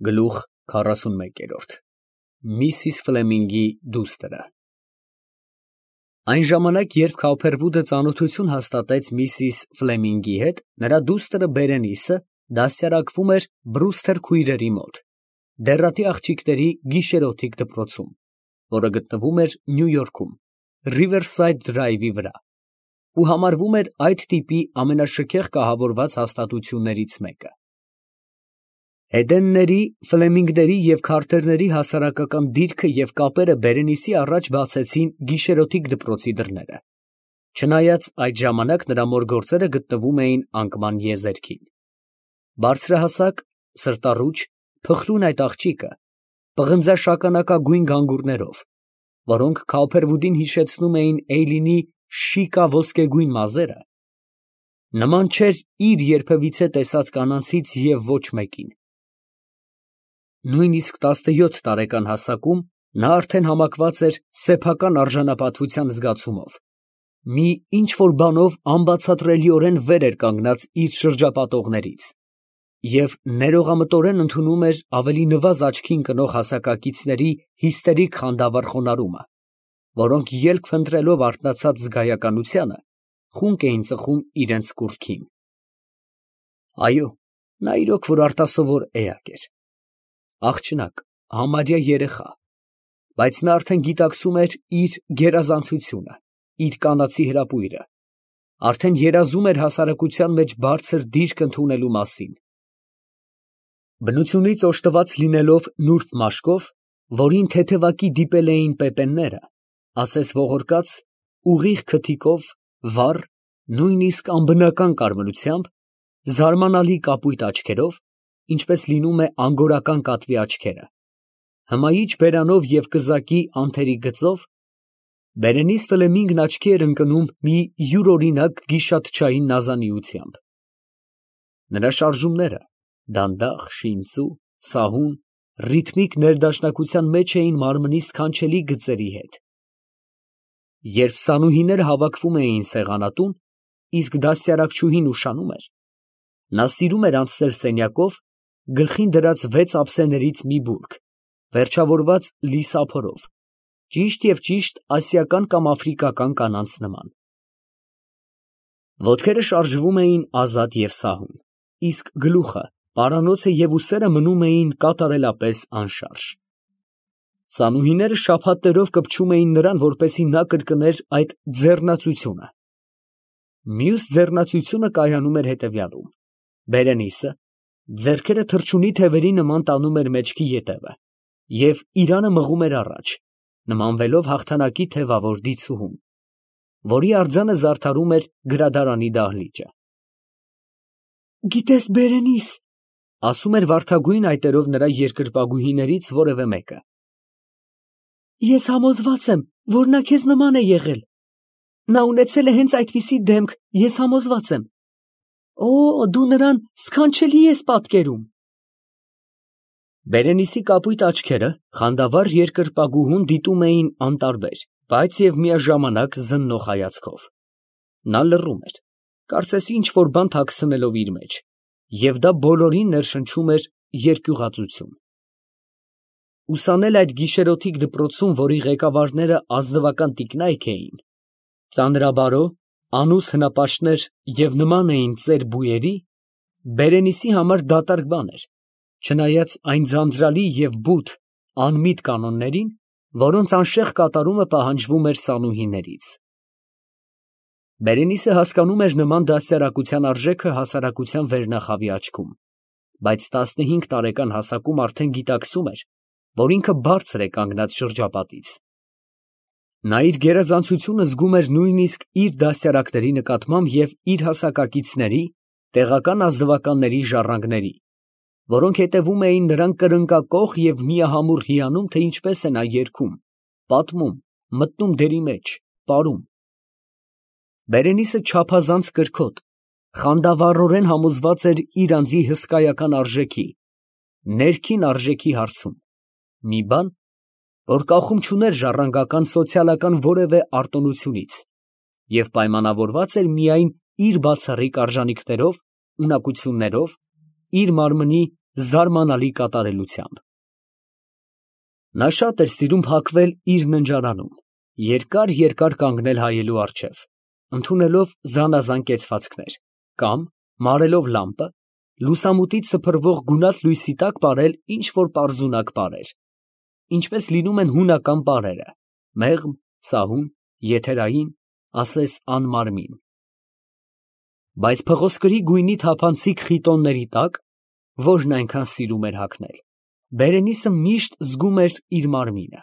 Գլուխ 41 Միսիս Ֆլեմինգի դուստրը Այն ժամանակ, երբ Քոուփերվուդը ծանոթություն հաստատեց միսիս Ֆլեմինգի հետ, նրա դուստրը Բերենիսը դաստիարակվում էր Բրուսթեր քույրերի մոտ, դեռատի աղջիկների գիշերօթիկ դպրոցում, որը գտնվում էր Նյու Յորքում, Riverside Drive-ի վրա, ու համարվում էր այդ տիպի ամենաշքեղ կահավորված հաստատություններից մեկը։ Էդենների, Ֆլեմինգների և Քարթերների հասարակական դիրքը և կապերը Բերենիսի առաջ բացեցին գիշերօթիկ դպրոցի դռները, չնայած այդ ժամանակ նրա մոր գործերը գտնվում էին անկման եզերքին։ Բարձրահասակ, սրտառուչ, փխրուն այդ աղջիկը, պղնձաշագանակագույն գանգուրներով, որոնք Քոուփերվուդին հիշեցնում էին Էյլինի շիկա ոսկեգույն մազերը, նման չէր իր երբևիցե տեսած կանանցից և ոչ մեկին։ Նույնիսկ 17 տարեկան հասակում նա արդեն համակված էր սեփական արժանապատվության զգացումով, մի ինչ֊որ բանով անբացատրելիորեն վեր էր կանգնած իր շրջապատողներից և ներողամտորեն ընդունում էր ավելի նվազ աչքի ընկնող հասակակիցների հիստերիկ խանդավառ խոնարհումը, որոնք ելք փնտրելով արթնացած զգայականությանը, խունկ էին ծխում իրենց կուռքին։ Այո, նա իրոք որ արտասովոր էակ էր, աղջնակ, համարյա երեխա, բայց նա արդեն գիտակցում էր իր գերազանցությունը, իր կանացի հրապույրը, արդեն երազում էր հասարակության մեջ բարձր դիրք ընդունելու մասին։ Բնությունից օժտված լինելով նուրբ մաշկով, որին թեթևակի դիպել էին պեպենները, ասես ողորկած, ուղիղ քթիկով, վառ, նույնիսկ անբնական կարմրությամբ, զարմանալի կապույտ աչքերով, ինչպես լինում է անգորական կատվի աչքերը, հմայիչ բերանով և կզակի անթերի գծով, Բերենիս Ֆլեմինգն աչքի էր ընկնում մի յուրօրինակ գիշատչային նազանիությամբ։ Նրա շարժումները դանդաղ, շինծու, սահուն, ռիթմիկ ներդաշնակության մեջ էին մարմնի սքանչելի գծերի հետ։ Երբ սանուհիները հավաքվում էին սեղանատուն, իսկ դաստիարակչուհին ուշանում էր, նա սիրում էր անցնել սենյակով, գլխին դրած 6 ափսեներից մի բուրգ, վերջավորված լի սափորով, ճիշտ և ճիշտ ասիական կամ աֆրիկական կանանց նման։ Ոտքերը շարժվում էին ազատ և սահուն, իսկ գլուխը, պարանոցը և ուսերը մնում էին կատարելապես անշարժ։ Սանուհիները շաբաթներով կպչում էին նրան, որպեսզի նա կրկներ այդ ձեռնացությունը։ Մյուս ձեռնացությունը կայանում էր հետևյալում. Բերենիսը ձեռքերը թռչունի թևերի նման տանում էր մեջքի ետևը և իրանը մղում էր առաջ, նմանվելով հաղթանակի թևավոր դիցուհուն, որի արձանը զարդարում էր գրադարանի դահլիճը։ «Գիտես, Բերենիս, ֊ ասում էր վարդագույն այտերով նրա երկրպագուհիներից որևէ մեկը, ֊ ես համոզված եմ, որ նա քեզ նման է եղել, նա ունեցել է հենց այդպիսի դեմք, ես համոզված եմ, օ, դու նրան սքանչելի ես պատկերում»։ Բերենիսի կապույտ աչքերը խանդավառ երկրպագուհուն դիտում էին անտարբեր, բայց և միաժամանակ զննող հայացքով։ Նա լռում էր, կարծես ինչ֊որ բան թաքցնելով իր մեջ, և դա բոլորին ներշնչում էր երկյուղածություն։ Ուսանել այդ գիշերօթիկ դպրոցում, որի ղեկավարները ազնվական տիկնայք էին, ծանրաբարո, անուս հնապաշտներ և նման էին ծեր բույերի, Բերենիսի համար դատարկ բան էր, չնայած այն ձանձրալի և բութ, անմիտ կանոններին, որոնց անշեղ կատարումը պահանջվում էր սանուհիներից։ Բերենիսը հասկանում էր նման դաստիարակության արժեքը հասարակության վերնախավի աչքում, բայց 15 տարեկան հասակում արդեն գիտակցում էր, որ ինքը բարձր է կանգնած շրջապատից։ Նա իր գերազանցությունը զգում էր նույնիսկ իր դաստիարակների նկատմամբ և իր հասակակիցների, տեղական ազնվականների ժառանգների, որոնք հետևում էին նրան կրնկակոխ և միահամուռ հիանում, թե ինչպես է նա երգում, պատմում, մտնում դերի մեջ, պարում։ Բերենիսը չափազանց կրքոտ, խանդավառորեն համոզված էր իր անձի հսկայական արժեքի, ներքին արժեքի հարցում, մի բան, որ կախում չուներ ժառանգական սոցիալական որևէ արտոնությունից և պայմանավորված էր միայն իր բացառիկ արժանիքներով, ունակություններով, իր մարմնի զարմանալի կատարելությամբ։ Նա շատ էր սիրում փակվել իր ննջարանում, երկար կանգնել հայելու առջև, ընդունելով զանազան կեցվածքներ, կամ, մարելով լամպը, լուսամուտից սփռվող գունատ լույսի տակ պարել ինչ-որ պարզունակ պարեր, ինչպես լինում են հունական պարերը, մեղմ, սահուն, եթերային, ասես անմարմին։ Բայց փղոսկրի գույնի թափանցիկ խիտոնների տակ, որն այնքան սիրում էր հագնել, Բերենիսը միշտ զգում էր իր մարմինը։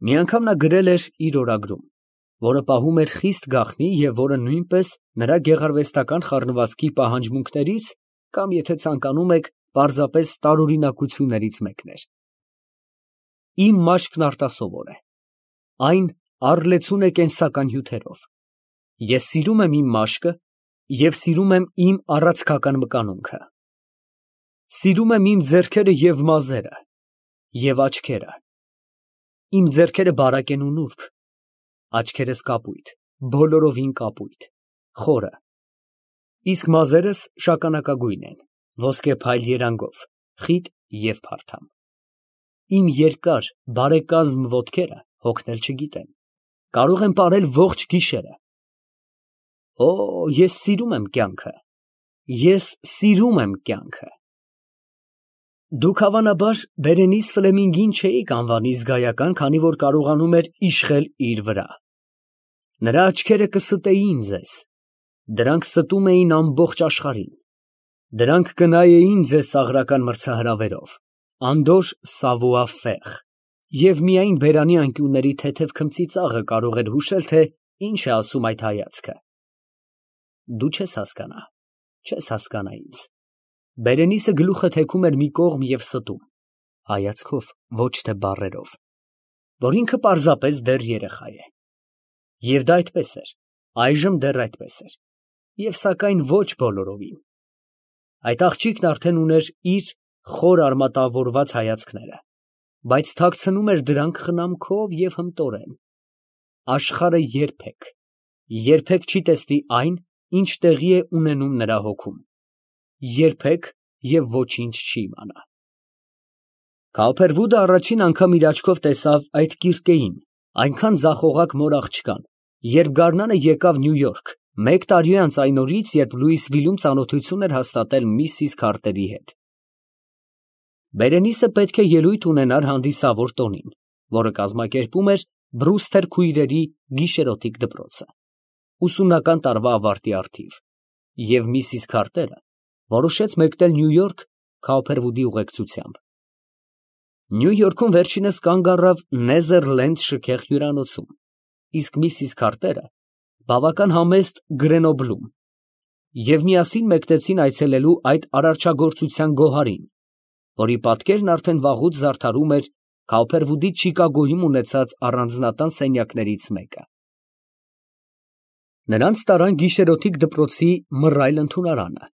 Մի անգամ նա գրել էր իր օրագրում, որը պահում էր խիստ գաղտնի և որը նույնպես նրա գեղարվեստական խառնվածքի պահանջմունքներից կամ, եթե ցանկանում եք, պարզապես տարօրինակություններից մեկն էր. Իմ մաշկն արտասովոր է, այն առլեցուն է կենսական հյութերով, ես սիրում եմ իմ մաշկը և սիրում եմ իմ առաձգական մկանունքը, սիրում եմ իմ ձեռքերը և մազերը և աչքերը, իմ ձեռքերը բարակ են ու նուրբ, աչքերս կապույտ, բոլորովին կապույտ, խորը, իսկ մազերս շագանակագույն են, ոսկե փայլ երանգով, խիտ և փարթամ, իմ երկար, բարեկազմ ոտքերը հոգնել չգիտեն, կարող են պարել ողջ գիշերը։ Օ, ես սիրում եմ կյանքը, ես սիրում եմ կյանքը։ Դուք հավանաբար Բերենիս Ֆլեմինգին չէիք անվանի զգայական, քանի որ կարողանում էր իշխել իր վրա։ Նրա աչքերը կստեին ձեզ, դրանք ստում էին ամբողջ աշխարհին, դրանք կնայեին ձեզ ծաղրական մրցահրավերով, անդորր սավուա֊ֆեղ, և միայն բերանի անկյունների թեթև քմծիծաղը կարող էր հուշել, թե ինչ է ասում այդ հայացքը։ Դու չես հասկանա, չես հասկանա ինձ։ Բերենիսը գլուխը թեքում էր մի կողմ և ստում, հայացքով, ոչ թե բառերով, որ ինքը պարզապես դեռ երեխա է։ Եվ դա այդպես էր, այժմ դեռ այդպես էր, և սակայն ոչ բոլորովին։ Այդ աղջիկն արդեն ուներ իր խոր արմատավորված հայացքները, բայց թաքցնում էր դրանք խնամքով և հմտորեն։ Աշխարհը երբեք չի տեսնի այն, ինչ տեղի է ունենում նրա հոգում, երբեք և ոչինչ չի իմանա։ Կոպերվուդը առաջին անգամ իր աչքով տեսավ այդ կիրկեին, այնքան ձախողակ մոր աղջկան, երբ գարնանը եկավ Նյու Յորք, 1 տարի անց այն օրից, երբ Լուիսվիլում ծանոթություն էր հաստատել միսիս Քարտերի հետ։ Բերենիսը պետք է ելույթ ունենար հանդիսավոր տոնին, որը կազմակերպում էր Բրուստեր քույրերի գիշերօթիկ դպրոցը, ուսումնական տարվա ավարտի առթիվ, և միսիս Քարտերը որոշեց մեկնել Նյու Յորք Կոպերվուդի ուղեկցությամբ։ Նյու Յորքում վերջինս կանգ առավ Նեզերլենդ շքեղ հյուրանոցում, իսկ միսիս Քարտերը բավական համեստ Գրենոբլում, և միասին մեկնեցին այցելելու այդ արարչագործության գոհարին, որի պատկերն արդեն վաղուց զարդարում էր Կոպերվուդի Չիկագոյում ունեցած առանձնատան սենյակներից մեկը։ Նրանց տարան գիշերօթիկ դպրոցի մռայլ ընդունարանը,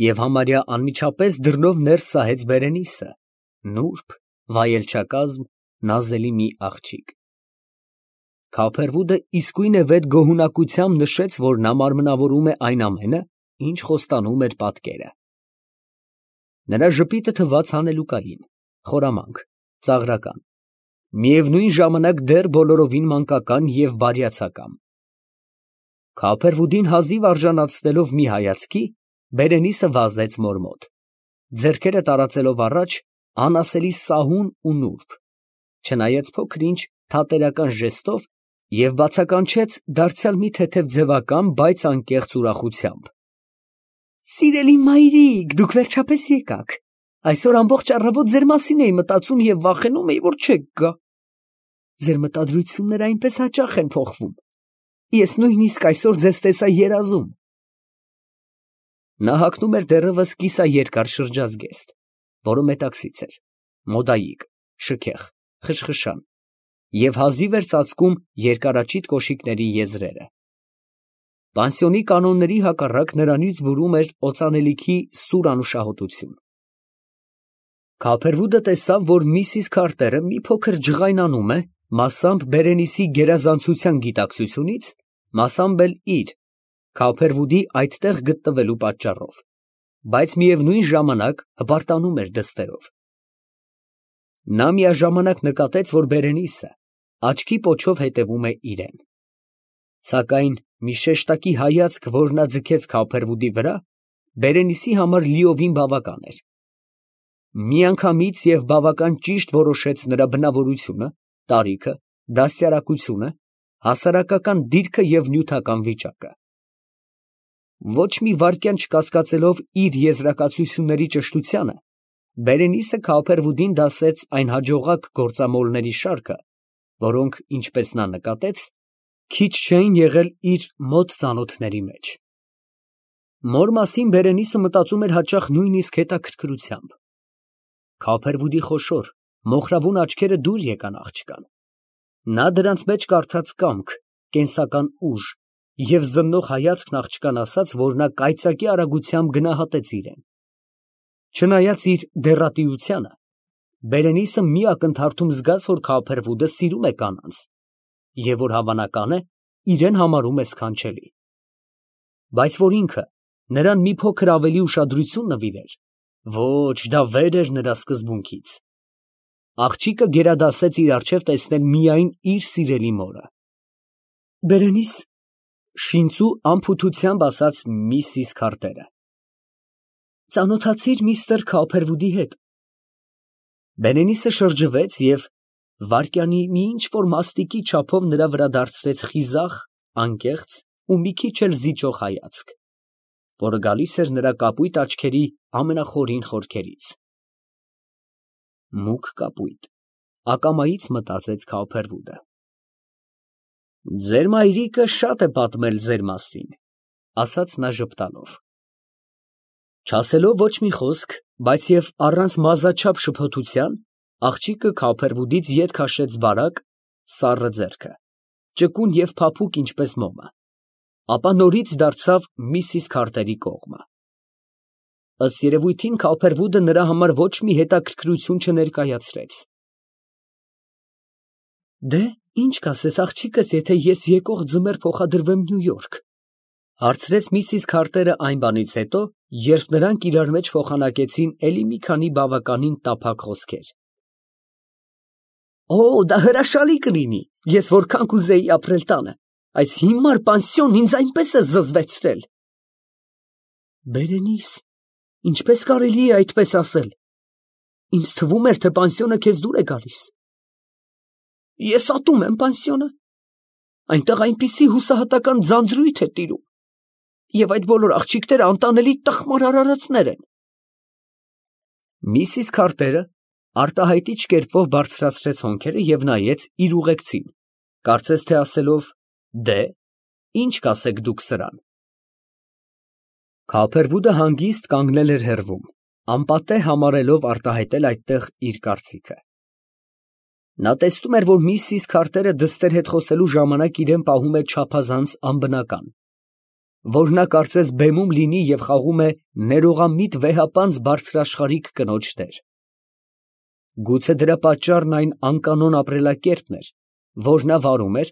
և համարյա անմիջապես դռնով ներս սահեց Բերենիսը, նուրբ, վայելչակազմ, նազելի մի աղջիկ։ Կոպերվուդը իսկույնևեթ գոհունակությամբ նշեց, որ նա մարմնավորում է այն ամենը, ինչ խոստանում էր պատկերը։ Նրա ժպիտը թվաց հանելուկային, խորամանկ, ծաղրական, միևնույն ժամանակ դեռ բոլորովին մանկական և բարյացակամ։ Կոպերվուդին հազիվ արժանացնելով մի հայացքի, Բերենիսը վազեց մոր մոտ, ձեռքերը տարածելով առաջ, անասելի սահուն ու նուրբ, չնայած փոքր֊ինչ թատերական ժեստով, և բացականչեց դարձյալ մի թեթև ձևական, բայց անկեղծ ուրախությամբ։ Սիրելի մայրիկ, դուք վերջապես եկաք, այսօր ամբողջ առավոտ ձեր մասին էի մտածում և վախենում էի, որ չեք գա։ Ձեր մտադրությունները այնպես հաճախ են փոխվում, ես նույնիսկ այսօր ձեզ տեսա երազում։ Նա հագնում էր դեռևս կիսաերկար շրջազգեստ, որը մետաքսից էր, մոդայիկ, շքեղ, խշխշան, և հազիվ էր ծածկում երկարաճիտ կոշիկների եզրերը։ Պանսիոնի կանոնների հակառակ նրանից բուրում էր օծանելիքի սուր անուշահոտություն։ Կոպերվուդը տեսավ, որ միսիս Քարտերը մի փոքր ջղայնանում է, մասամբ Բերենիսի գերազանցության գիտակցությունից, մասամբ էլ իր, Կոպերվուդի այդտեղ գտնվելու պատճառով, բայց միևնույն ժամանակ հպարտանում էր դստերով։ Նա միաժամանակ նկատեց, որ Բերենիսը աչքի պոչով հետևում է իրան։ Սակայն մի շեշտակի հայացք, որ նա ձգեց Քափերվուդի վրա, Բերենիսի համար լիովին բավական էր։ Միանգամից և բավական ճիշտ որոշեց նրա բնավորությունը, տարիքը, դաստիարակությունը, հասարակական դիրքը և նյութական վիճակը։ Ոչ մի վայրկյան չկասկածելով իր եզրակացությունների ճշտությանը, Բերենիսը Քափերվուդին դասեց այն հաջողակ գործամոլների շարքը, որոնք, ինչպես նա նկատեց, քիչ չէին եղել իր մոտ ծանոթների մեջ։ Մոր մասին Բերենիսը մտածում էր հաճախ նույնիսկ հետաքրքրությամբ։ Քափերվուդի խոշոր, մոխրավուն աչքերը դուր եկան աղջկան։ Նա դրանց մեջ կարդաց կամք, կենսական ուժ և զննող հայացքն աղջկան ասաց, որ նա կայծակի արագությամբ գնահատեց իրան։ Չնայած իր դեռատիությանը, Բերենիսը մի ակնթարթում զգաց, որ Քափերվուդը սիրում է կանանց և որ հավանական է, իրան համարում է սքանչելի։ Բայց որ ինքը նրան մի փոքր ավելի ուշադրություն նվիրեր, ոչ, դա վեր էր նրա սկզբունքից։ Աղջիկը գերադասեց իր առջև տեսնել միայն իր սիրելի մորը։ Բերենիս, շինծու անփութությամբ ասաց միսիս Քարտերը, ծանոթացիր միստր Քափերվուդի հետ։ Բերենիսը շրջվեց և վայրկյանի մի ինչ֊որ մաստիկի չափով նրա վրա դարձրեց խիզախ, անկեղծ ու մի քիչ էլ զիջող հայացք, որը գալիս էր նրա կապույտ աչքերի ամենախորին խորքերից։ Մուգ կապույտ, ակամայից մտածեց Քափերվուդը։ Ձեր մայրիկը շատ է պատմել ձեր մասին, ասաց նա ժպտալով։ Չասելով ոչ մի խոսք, բայց և առանց մազաչափ շփոթության, աղջիկը Քափերվուդից ետ քաշեց բարակ, սառը ձեռքը, ճկուն և փափուկ ինչպես մոմը, ապա նորից դարձավ միսիս Քարտերի կողմը։ Ըստ երևույթին Քափերվուդը նրա համար ոչ մի հետաքրքրություն չներկայացրեց։ Դե, ինչ կասես աղջիկս, եթե ես եկող ձմեռ փոխադրվեմ Նյու Յորք, հարցրեց միսիս Քարտերը այն բանից հետո, երբ նրանք իրար մեջ փոխանակեցին էլի մի քանի բավականին տափակ խոսքեր։ Օ, դա հրաշալի կլինի, ես որքան կուզեի ապրել տանը, այս հիմար պանսիոնն ինձ այնպես է զզվեցրել։ Բերենիս, ինչպես կարելի է այդպես ասել։ Ինձ թվում էր, թե պանսիոնը քեզ դուր է գալիս։ Ես ատում եմ պանսիոնը։ Այնտեղ այնպիսի հուսահատական ձանձրույթ է տիրում, և այդ բոլոր աղջիկները անտանելի տխմար արարածներ են։ Միսիս Քարտերը արտահայտիչ կերպով բարձրացրեց հոնքերը և նայեց իր ուղեկցին, կարծես թե ասելով. դե, ինչ կասեք դուք սրան։ Քափերվուդը հանգիստ կանգնել էր հեռվում, անպատե համարելով արտահայտել այդտեղ իր կարծիքը։ Նա տեսնում էր, որ միսիս Քարտերը դստեր հետ խոսելու ժամանակ իրեն պահում է չափազանց անբնական, որ նա կարծես բեմում լինի և խաղում է ներողամիտ վեհապանծ բարձրաշխարհիկ կնոջ դեր։ Գուցե դրա պատճառն այն անկանոն ապրելակերպն էր, որ նա վարում էր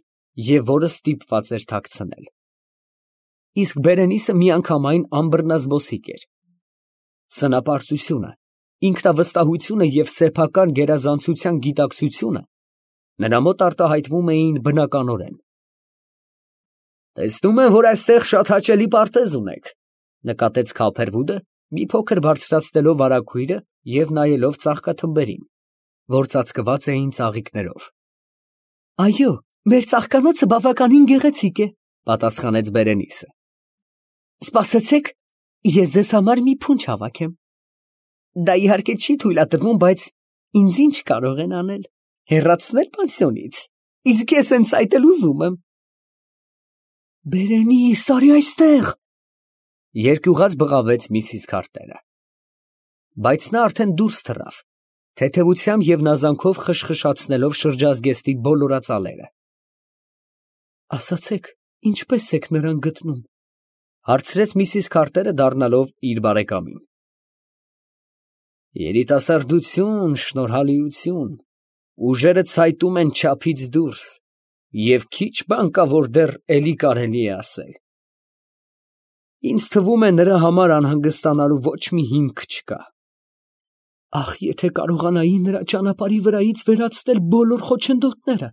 և որը ստիպված էր թաքցնել։ Իսկ Բերենիսը միանգամայն անբռնազբոսիկ էր։ Սնապարծությունը, ինքնավստահությունը և սեփական գերազանցության գիտակցությունը նրա մոտ արտահայտվում էին բնականորեն։ Տեսնում եմ, որ այստեղ շատ հաճելի պարտեզ ունեք, նկատեց Քափերվուդը, մի փոքր բարձրացնելով վարագույրը և նայելով ծաղկաթմբերին, որ ծածկված էին ծաղիկներով։ Այո, մեր ծաղկանոցը բավականին գեղեցիկ է, պատասխանեց Բերենիսը։ Սպասեցեք, ես ձեզ համար մի փունջ հավաքեմ։ Դա իհարկե չի թույլատրվում, բայց ինձ ինչ կարող են անել, հեռացնել պանսիոնից, իսկ ես հենց այդ էլ ուզում եմ։ Բերենիս, արի այստեղ, երկյուղած բղավեց միսիս Քարտերը։ Բայց նա արդեն դուրս թռավ, թեթևությամբ և նազանքով խշխշացնելով շրջազգեստի բոլոր ածալերը։ Ասացեք, ինչպե՞ս եք նրան գտնում, հարցրեց միսիս Քարտերը, դառնալով իր բարեկամին։ Երիտասարդություն, շնորհալիություն, ուժերը ցայտում են չափից դուրս, և քիչ բան կա, որ դեռ էլի կարելի է ասել։ Ինձ թվում է նրա համար անհանգստանալու ոչ մի հիմք չկա։ Ախ, եթե կարողանայի նրա ճանապարհի վրայից վերացնել բոլոր խոչընդոտները։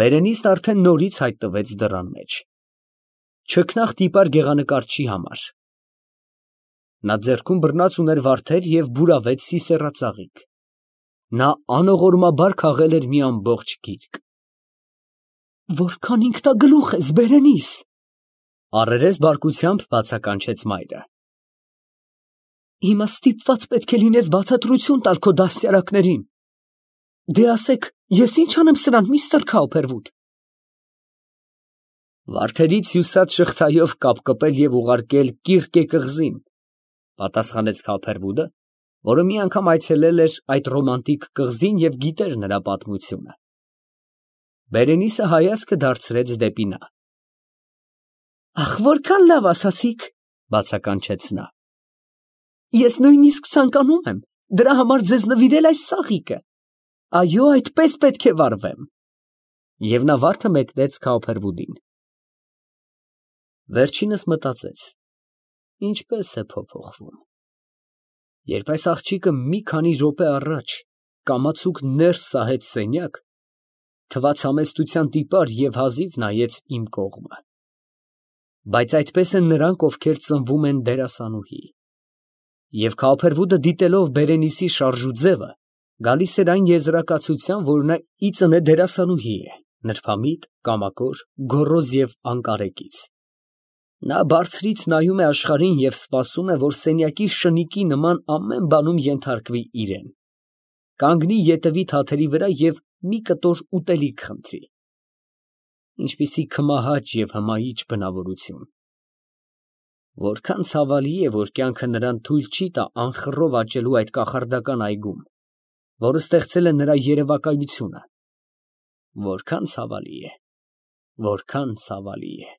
Բերենիսն արդեն նորից հայտնվեց դռան մեջ։ Չքնաղ տիպար գեղանկարչի համար։ Նա ձեռքում բռնած ուներ վարդեր և բուրավետ սիսեռածաղիկ։ Նա անողորմաբար քաղել էր մի ամբողջ գիրք։ Որքան ինքնագլուխ ես, Բերենիս, առերես բարկությամբ բացականչեց մայրը։ Հիմա ստիպված պետք է լինես բացատրություն տալ քո դաստիարակներին։ Դե ասեք, ես ինչ անեմ սրան, միստր Քաուփերվուդ։ Վարդերից հյուսած շղթայով կապկպել և ուղարկել Կիրկե կղզին, պատասխանեց Քաուփերվուդը, որը մի անգամ այցելել էր այդ ռոմանտիկ կղզին և գիտեր նրա պատմությունը։ Բերենիսը հայացքը դարձրեց դեպի նա։ Ախ, որքան լավ ասացիք, բացականչեց նա։ Ես նույնիսկ ցանկանում եմ դրա համար ձեզ նվիրել այս ծաղիկը։ Այո, այդպես պետք է վարվեմ։ Եվ նա վարդը մեկնեց Քաուփերվուդին։ Վերջինս մտածեց. ինչպես է փոփոխվում։ Երբ այս աղջիկը մի քանի րոպե առաջ կամացուկ ներս սահեց սենյակ, թվաց համեստության տիպար և հազիվ նայեց իմ կողմը։ Բայց այդպես են նրանք, ովքեր ծնվում են դերասանուհի։ Եվ Քաուփերվուդը դիտելով Բերենիսի շարժուձևը, գալիս էր այն եզրակացության, որ նա ի ծնե դերասանուհի է, նրբամիտ, կամակոր, գոռոզ և անկարեկից։ Նա բարձրից նայում է աշխարհին և սպասում է, որ սենյակի շնիկի նման ամեն բանում ենթարկվի իրեն, կանգնի ետևի թաթերի վրա և մի կտոր ուտելիք խնդրի։ Ինչպիսի քմահաճ և հմայիչ բնավորություն։ Որքան ցավալի է, որ կյանքը նրան թույլ չի տա անխռով աճելու այդ կախարդական այգում, որը ստեղծել է նրա երևակայությունը։ Որքան ցավալի է, որքան ցավալի է։